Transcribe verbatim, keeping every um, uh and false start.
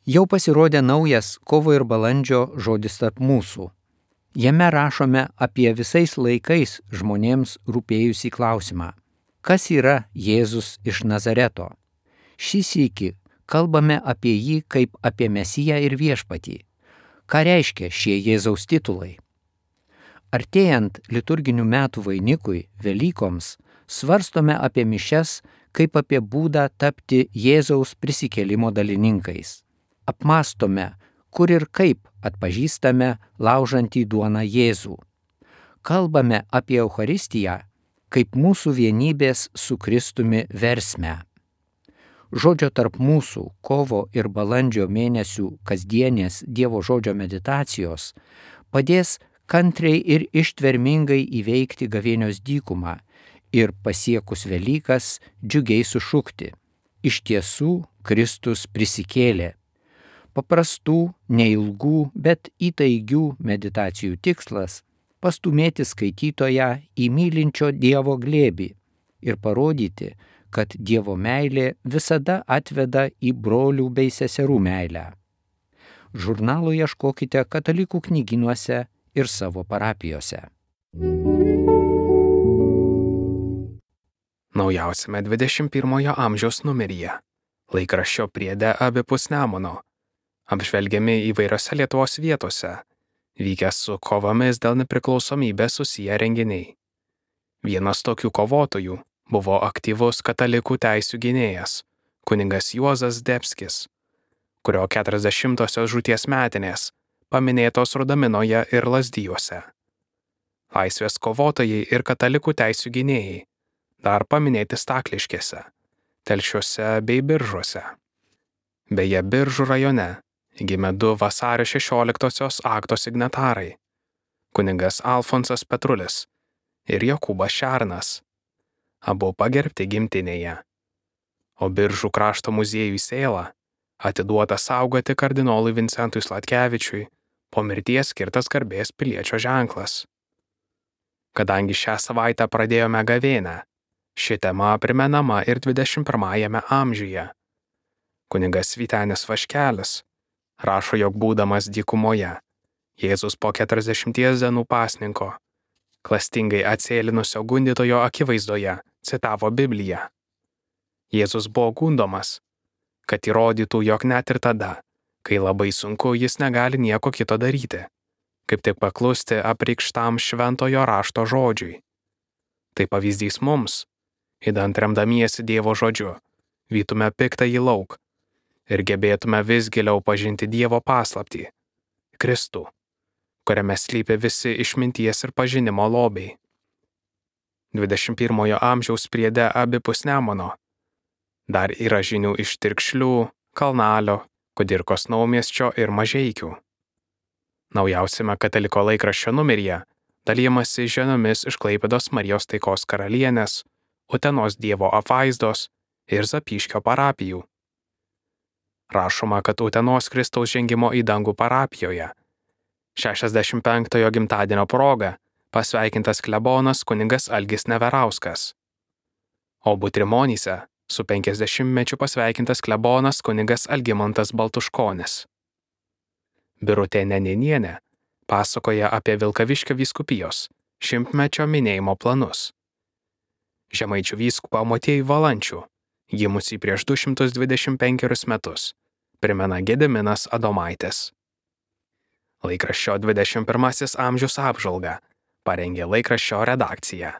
Jau pasirodė naujas kovo ir balandžio žodis tarp mūsų. Jame rašome apie visais laikais žmonėms rūpėjusį klausimą. Kas yra Jėzus iš Nazareto? Šį sykį kalbame apie jį kaip apie Mesiją ir viešpatį. Ką reiškia šie Jėzaus titulai? Artėjant liturginių metų vainikui, Velykoms, svarstome apie mišias kaip apie būdą tapti Jėzaus prisikėlimo dalininkais. Apmastome, kur ir kaip atpažįstame laužantį duoną Jėzų. Kalbame apie Eucharistiją kaip mūsų vienybės su Kristumi versmę. Žodžio tarp mūsų kovo ir balandžio mėnesių kasdienės Dievo žodžio meditacijos padės kantriai ir ištvermingai įveikti gavėnios dykumą ir pasiekus Velykas džiugiai sušukti: iš tiesų Kristus prisikėlė. Paprastų, neilgų, bet įtaigių meditacijų tikslas – pastumėti skaitytoją į mylinčio Dievo glėbį ir parodyti, kad Dievo meilė visada atveda į brolių bei seserų meilę. Žurnalo ieškokite katalikų knygynuose ir savo parapijose. Naujausiame dvidešimt pirmojo amžiaus numeryje, laikraščio priede abipus Nemuno, apžvelgiami įvairiose Lietuvos vietose, vykę su kovomis dėl nepriklausomybės susiję renginiai. Vienas tokių kovotojų buvo aktyvus katalikų teisių gynėjas, kunigas Juozas Zdebskis, kurio keturiasdešimtosios žūties metinės paminėtos Rudaminoje ir Lazdijuose. Laisvės kovotojai ir katalikų teisių gynėjai dar paminėti Stakliškėse, Telšiuose bei Biržuose. Beje, Biržų rajone gimė du vasario šešioliktosios akto signatarai – kunigas Alfonsas Petrulis ir Jokūbas Šernas, abu pagerbti gimtinėje. O Biržų krašto muziejui Sėla atiduota saugoti kardinolui Vincentui Sladkevičiui po mirties skirtas garbės piliečio ženklas. Kadangi šią savaitę pradėjome gavėnią, ši tema primenama ir dvidešimt pirmajame amžiuje. Kunigas Vytenis Vaškelis rašo, jog būdamas dykumoje, Jėzus po keturiasdešimties dienų pasninko, klastingai atsėlinusio gundytojo akivaizdoje, citavo Bibliją. Jėzus buvo gundomas, kad įrodytų, jog net ir tada, kai labai sunku, jis negali nieko kito daryti, kaip tik paklusti apreikštam šventojo rašto žodžiui. Tai pavyzdys mums, idant remdamiesi Dievo žodžiu, vytume piktąjį lauk ir gebėtume vis giliau pažinti Dievo paslaptį – Kristų, kuriame slypi visi išminties ir pažinimo lobiai. dvidešimt pirmojo amžiaus priede abipus Nemuno dar yra žinių iš Tirkšlių, Kalnalio, Kudirkos Naumiesčio ir Mažeikių. Naujausiame kataliko laikraščio numeryje dalijamasi žiniomis iš Klaipėdos Marijos Taikos karalienės, Utenos Dievo apvaizdos ir Zapyškio parapijų. Rašoma, kad Utenos Kristaus žengimo į dangų parapijoje šešiasdešimt penktojo gimtadienio proga pasveikintas klebonas kunigas Algis Neverauskas. O Butrimonyse su penkiasdešimtmečiu pasveikintas klebonas kunigas Algimantas Baltuškonis. Birutė Neninienė pasakoja apie Vilkaviškio vyskupijos šimtmečio minėjimo planus. Žemaičių vyskupą Motiejų Valančių, gimusį prieš du šimtus dvidešimt penkerius metus, primena Gediminas Adomaitis. Laikraščio dvidešimt pirmasis amžius apžvalgą parengė laikraščio redakcija.